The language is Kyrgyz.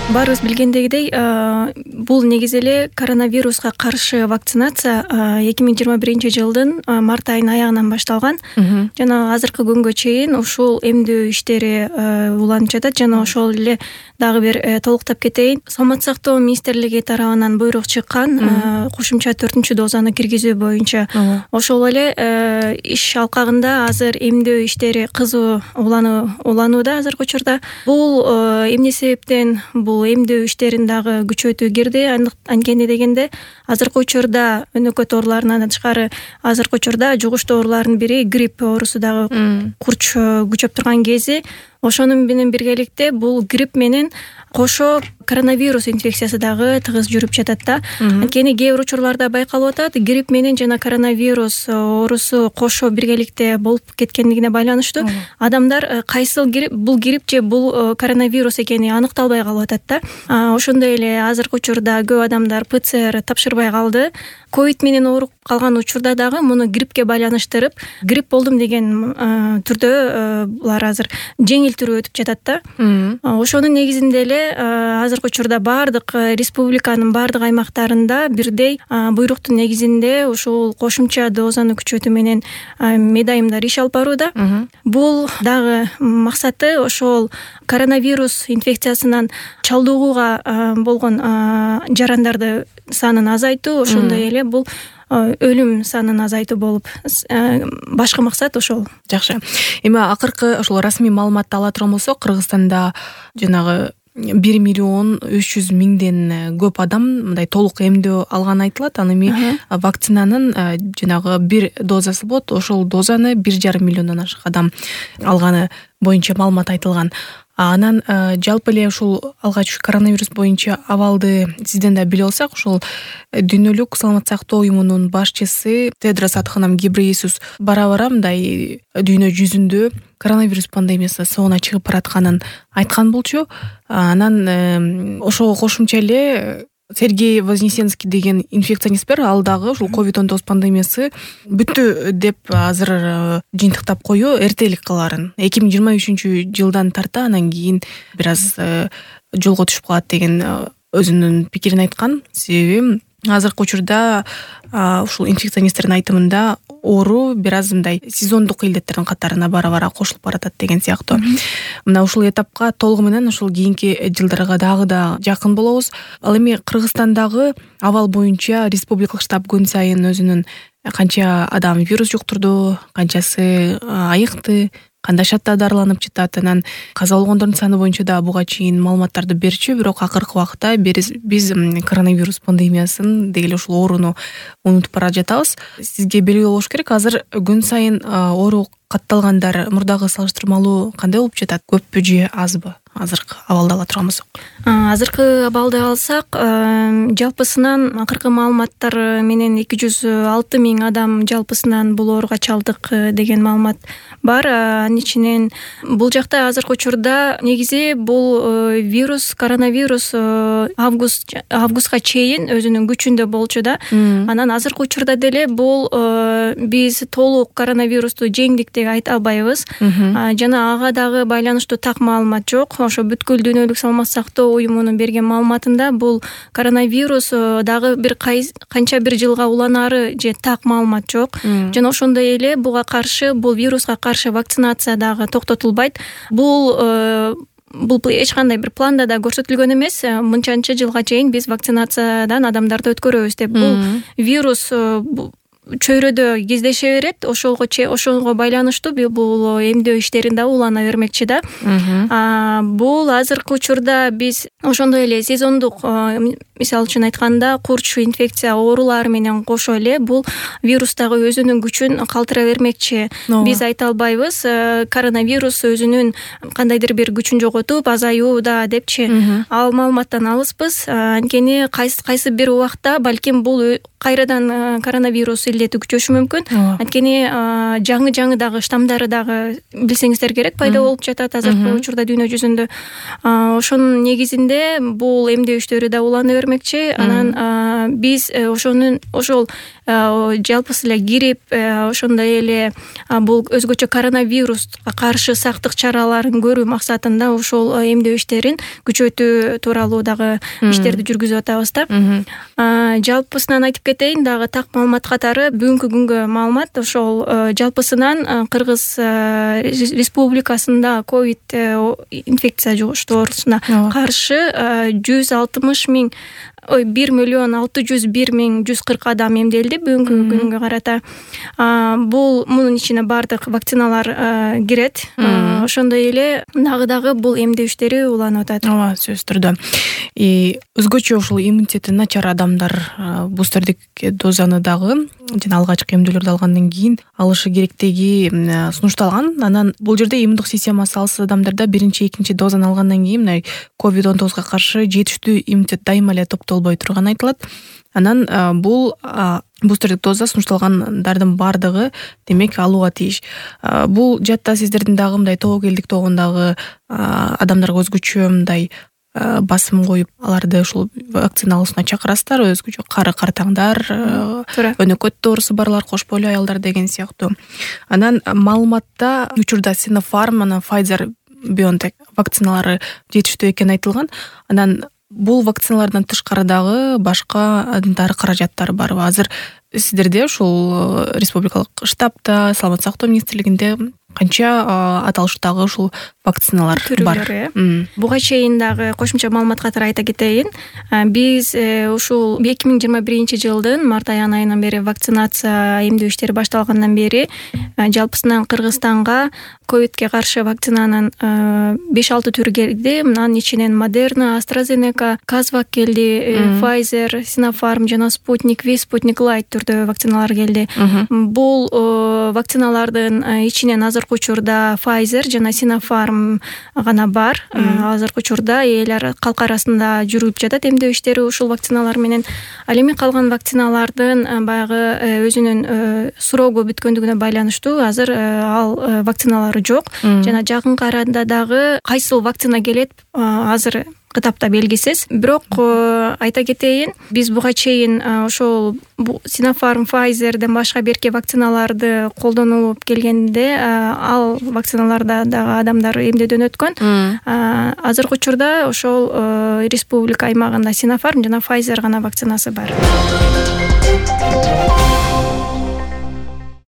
Баарыбыз билгендегидей, бул негизи эле коронавируска каршы вакцинация 2021-жылдын март айынын аягынан башталган. Жана азыркы күнгө чейин ушул эмдөө иштери уланып жатат. Жана ошол эле дагы бир толуктап кетейин. Саламаттык сактоо министрлиги тарабынан буйрук чыккан кошумча 4 дозаны киргизүү боюнча. Ошол эле иш алкагында азыр эмдөө иштери кызуу уланууда азыркы учурда. Бул эмне себептен бул эмдөө иштерин дагы күчөтүү кирди. Анткени дегенде азыркы учурда өнөкөт ооруларынан тышкары азыркы учурда жугуштуу оорулардын бири грипп оорусу дагы курч күчөп турган кези. Ошону менен биргеликте бул грипп менен кошо коронавирус инфекциясы дагы тыгыз жүрүп жатат да. Анткени кээ бир учурларда байкалып атат, грипп менен жана коронавирус оорусу кошо биргеликте болуп кеткендигине байланыштуу адамдар кайсыл грипп, бул грипп же бул коронавирус экени аныкталбай калып атат да. Ошондой эле азыркы учурда көп адамдар ПЦР тапшырбай калды. Ковид менен ооруп калган учурда дагы муну гриппке байланыштырып, грипп болдум деген түрдө булар азыр жеңил түрү өтүп жатат да. Ошонун негизинде эле азыркы учурда баардык республиканын баардык аймактарында бирдей буйруктун негизинде ушул кошумча дозаны күчөтүү менен медайымдар иш алып барууда. Бул дагы максаты ошол коронавирус инфекциясынан чалдыгууга болгон жарандарды санын азайтуу, ошондой эле бул өлүм санын азайтуу болуп, башкы максат ошол. Жакшы. Эми акыркы ошол расмий маалыматты ала турган болсок, Кыргызстанда жанагы 1,3 миллион көп адам мындай толук эмдөө алганы айтылат. Аны эми вакцинанын жанагы бир дозасы болот. Ошол дозаны 1,5 миллиондон ашык адам алганы боюнча маалымат айтылган. Анан жалпы эле ушул алгач коронавирус боюнча абалды сизден да билип алсак, ушул Дүйнөлүк саламаттык сактоо уюмунун башчысы Тедрос Адханом Гебрейесус бара-бара мындай дүйнө жүзүндө коронавирус пандемиясы соонуна чыгып баратканын айткан болчу. Анан ошого кошумча эле Сергей Вознесенский деген инфекционист бар, ал дагы ушул COVID-19 пандемиясы бүттү деп азыр жыйынтыктап коюу эртелик кыларын. 2023-жылдан тарта анан кийин бир аз жолго түшүп калат деген өзүнүн пикирин айткан. Себеби азыркы учурда ушул инфекционисттердин айтымында оору бир аз мындай сезондук илдеттердин катарына бара-бара кошулуп баратат деген сыяктуу. Мына ушул этапка толугу менен ушул кийинки жылдарга дагы да жакын болобуз. Ал эми Кыргызстандагы абал боюнча республикалык штаб күн сайын өзүнүн канча адам вирус жуктурду, канчасы айыкты, кандай шартта дарыланып жатат, анан каза болгондордун саны боюнча да буга чейин маалыматтарды берчү. Бирок акыркы убакытта биз коронавирус пандемиясын деги эле ушул ооруну унутуп бара жатабыз. Сизге белгилүү болуш керек, азыр күн сайын оору катталгандар мурдагы салыштырмалуу кандай болуп жатат? Көппү же азбы? Азыркы абалды ала турган болсок. Азыркы абалды алсак, жалпысынан акыркы маалыматтар менен 206 000 адам жалпысынан бул ооруга чалдык деген маалымат бар. Анын ичинен бул жакта азыркы учурда негизи бул вирус, коронавирус августка чейин өзүнүн күчүндө болчу да. Анан азыркы учурда деле бул биз толук коронавирусту жеңдик деп айта албайбыз. Жана ага дагы байланыштуу так маалымат жок. Ошо бүткүл дүйнөлүк саламаттык сактоо уюмунун берген маалыматында бул коронавирус дагы бир канча бир жылга уланары же так маалымат жок. Жана ошондой эле буга каршы, бул вируска каршы вакцинация дагы токтотулбайт. Бул эч кандай бир планда да көрсөтүлгөн эмес. Мынчанча жылга чейин биз вакцинациядан адамдарды өткөрөбүз деп. Бул вирус чөйрөдө кездеше берет, ошого байланыштуу бул эмдөө иштерин да улана бермекчи да. Бул азыркы учурда биз ошондой эле сезондук, мисалы үчүн айтканда, курч инфекция оорулары менен кошо эле бул вирус дагы өзүнүн күчүн калтыра бермекчи. Биз айта албайбыз коронавирус өзүнүн кандайдыр бир күчүн жоготуп азаюуда депчи. Ал маалыматтан алыспыз. Анткени кайсы бир убакта балким бул кайрадан коронавирус илдетүү күчөшү мүмкүн. Анткени жаңы дагы штамдары дагы билсеңиздер керек пайда болуп жатат азыркы учурда дүйнө жүзүндө. Ошонун негизинде бул эмдөө иштери да улана бермекчи. Анан биз ошол жалпысы эле кирип, ошондой эле бул өзгөчө коронавируска каршы сактык чараларын көрүү максатында ушул эмдөө иштерин күчөтүү тууралуу дагы иштерди жүргүзүп атабыз да. Жалпысынан айтып кетейин дагы так маалымат катары, бүгүнкү күнгө маалымат ошол жалпысынан Кыргыз Республикасында ковид инфекция жугуштуу оорусуна каршы 1,601,140 адам эмделди бүгүнкү күнгө карата. Бул мунун ичине баардык вакциналар кирет. Ошондой эле дагы бул эмдөө иштери уланып атат. Ооба, сөзсүз түрдө. Өзгөчө ушул иммунитети начар адамдар бустердик дозаны дагы жана алгачкы эмдөөлөрдү алгандан кийин алышы керектиги сунушталган. Анан бул жерде иммундук системасы алсыз адамдарда биринчи, экинчи дозаны алгандан кийин мына COVID-19 каршы жетиштүү иммунитет дайыма эле топтолбой турганы айтылат. Анан бул бустердик доза сунушталгандардын баардыгы демек алууга тийиш. Бул жатта сиздердин дагы мындай тобокелдик тобундагы адамдарга өзгөчө мындай басым коюп аларды ушул вакцина алуусуна чакырасыздар, өзгөчө кары картаңдар, өнөкөт оорусу барлар, кош бойлуу аялдар деген сыяктуу. Анан маалыматта учурда Sinopharm, анан Pfizer, BioNTech вакциналары жетиштүү экени айтылган. Анан бул вакциналардан тышкары дагы башка дары каражаттары барбы? Азыр сиздерде ушул республикалык штабта, саламаттык сактоо министрлигинде канча аталыштагы ушул вакциналар бар? Буга чейин дагы кошумча маалымат катары айта кетейин. Биз ушул 2021-жылдын март айынан бери вакцинация эмдөө иштери башталгандан бери жалпысынан Кыргызстанга ковидке каршы вакцинанын 5-6 түрү келди. Мынанын ичинен Moderna, AstraZeneca, Kazvak келди, Pfizer, Sinopharm жана Sputnik V, Sputnik Light түрдө вакциналар келди. Бул вакциналардын ичинен азыркы учурда Pfizer жана Sinopharm гана бар. Азыркы учурда элер калк арасында жүрүп жатат эмдөө иштери ушул вакциналар менен. Ал эми калган вакциналардын баягы өзүнүн срогу бүткөндүгүнө байланыштуу азыр ал вакциналары жок. Жана жакынкы арада дагы кайсыл вакцина келет азыр кытапта белгисиз. Бирок айта кетейин, биз буга чейин ошол Sinopharm, Pfizerден башка берки вакциналарды колдонуп келгенде ал вакциналарда дагы адамдар эмдөөдөн өткөн. Азыркы учурда ошол республика аймагында Sinopharm жана Pfizer гана вакцинасы бар.